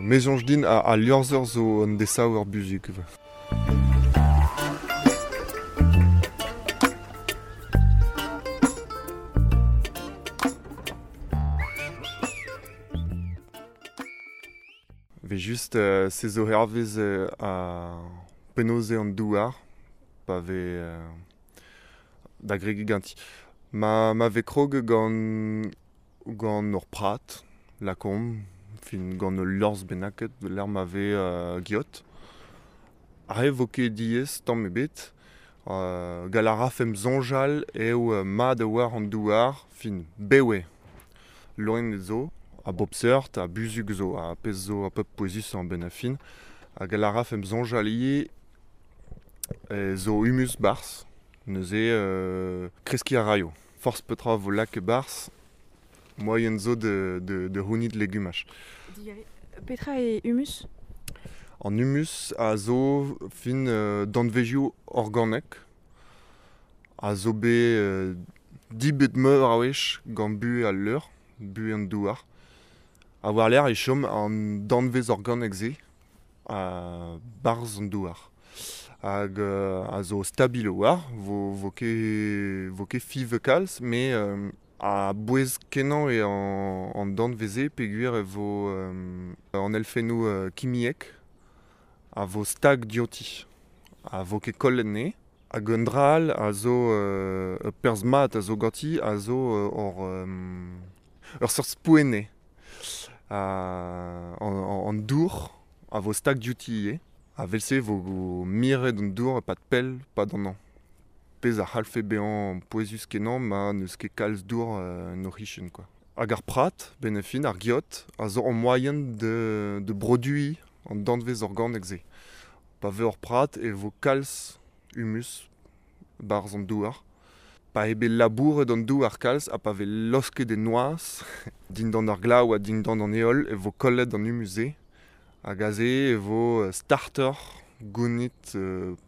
Me soñj din al liorzher zo un desaver buzhug. Ve just se zo hervez ar penaos eo an douar pa vez da gregiñ ganti. Ma vez krog gant ur prat, lakaomp, fin gant ul liorzh bennaket lec'h ma vez geot. Aze 'vo ket diaes tamm ebet. Gall a rafemp soñjal eo mat a-walc'h an douar, fin bev eo. Loened zo, a bep seurt, ha buzhug zo, ha pezh zo ar pep pouezusañ a-benn ar fin. Ha gall a rafemp soñjal ivez zo humus 'barzh, neuze kreskiñ a raio. Forzh petra 'vo lakaet 'barzh, moaien zo da c'hounit legumaj. Petra eo humus? An humus a zo fin danvezioù organek a zo bet dibet meur a wech gant buhez al leur, buhez an douar. Ha war-lerc'h e chom an danvez organek-se 'barzh an douar. Hag a zo stabil a-walc'h, 'vo ket fiñv kalz, met a-bouez-kenañ eo an danvez-se peogwir e vo an elfennoù kimiek a vo stag diouti, ha 'vo ket kollet anezhe. Hag un dra all a zo ur perzh mat a zo ganti a zo ur seurt spouenn an dour a vo stag diouti ivez. Ha evel-se e vo miret an dour e-pad pell 'pad an hañv. Pezh a c'hallfe bezañ pouezus-kenañ ma n'eus ket kalz dour en o c'hichen kwa. Hag ar prat, benn ar fin, ar geot, a zo ur moaien da broduiñ an danvez organek-se. Pa vez ur prat e vo kalz humus 'barzh an douar. Pa eo bet labouret an douar kalz ha pa vez laosket e noazh dindan ar glav ha dindan an heol e vo kollet an humus-se. Hag aze e vo startoc'h gounit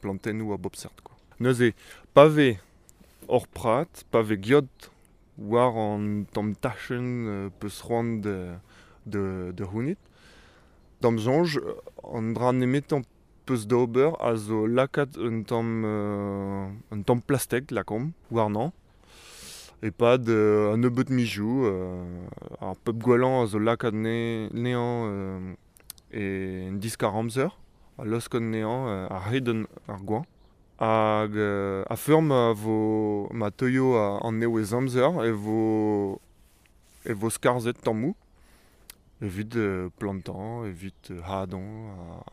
plantennoù a bep seurt kwa. Neuze, pa vez hor prat, pa vez geot war an tamm tachenn peus c'hoant da c'hounit, d'am soñj an dra nemetañ peus d'ober a zo lakaat un tamm plastek lakaomp warnañ e-pad un nebeud mizioù. Ar pep gwellañ a zo lakaat anezhañ en diskar-amzer, ha laosk anezhañ a-hed ar goañv. Hag a-feur ma vo ma teuio an nevez-amzer e vo skarzhet tammoù evit plantañ, evit hadañ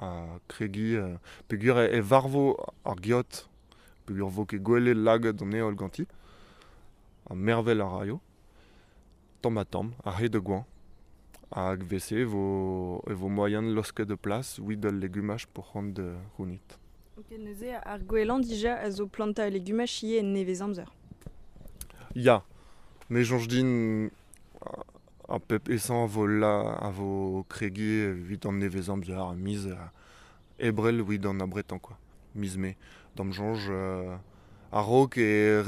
ha kregiñ peogwir e varvo ar geot peogwir 'vo ket gwelet lagad an heol ganti ha mervel a raio tamm-ha-tamm a-hed ar goañv. Hag evel-se e vo moaien laosket e plas evit al legumaj po c'hoant da c'hounit. Ok, neuze ar gwellañ dija a zo plantañ legumaj ivez en nevez-amzer. Ya, me soñj din ar pep aesañ a vo kregiñ evit an nevez-amzer, ar miz Ebrel evit an abretañ kwa, miz Mae. D'am soñj a-raok e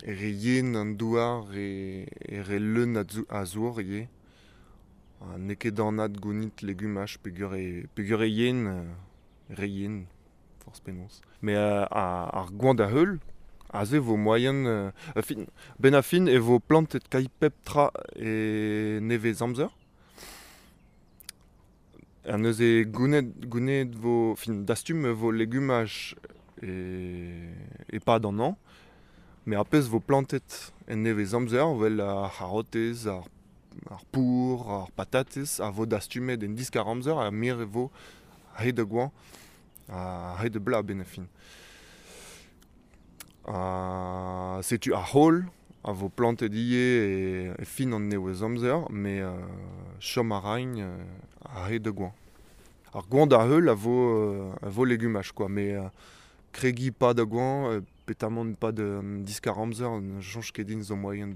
re yen an douar, e re leun a zour ivez. Ha n'eo ket anat gounit legumaj peogwir e yen, re yen, forzh penaos. Met ar goañv da heul, aze 'vo moaien fin, benn ar fin e vo plantet kailh pep tra e nevez-amzer. Ha neuze gounid 'vo, fin dastum 'vo legumaj e-pad an hañv. Met ar pezh 'vo plantet en nevez-amzer 'vel ar c'harotez, ar pour, ar patatez a vo dastumet en diskar-amzer ha miret 'vo a-hed ar goañv ha a-hed ar bloaz a-benn ar fin. Ha setu ar c'haol a vo plantet ivez e fin an nevez-amzer met chom a raint a-hed ar goañv. Ar goañv da heul a vo legumaj kwa met kregiñ 'pad ar goañv petamant 'pad an diskar-amzer ne soñj ket din zo moaien.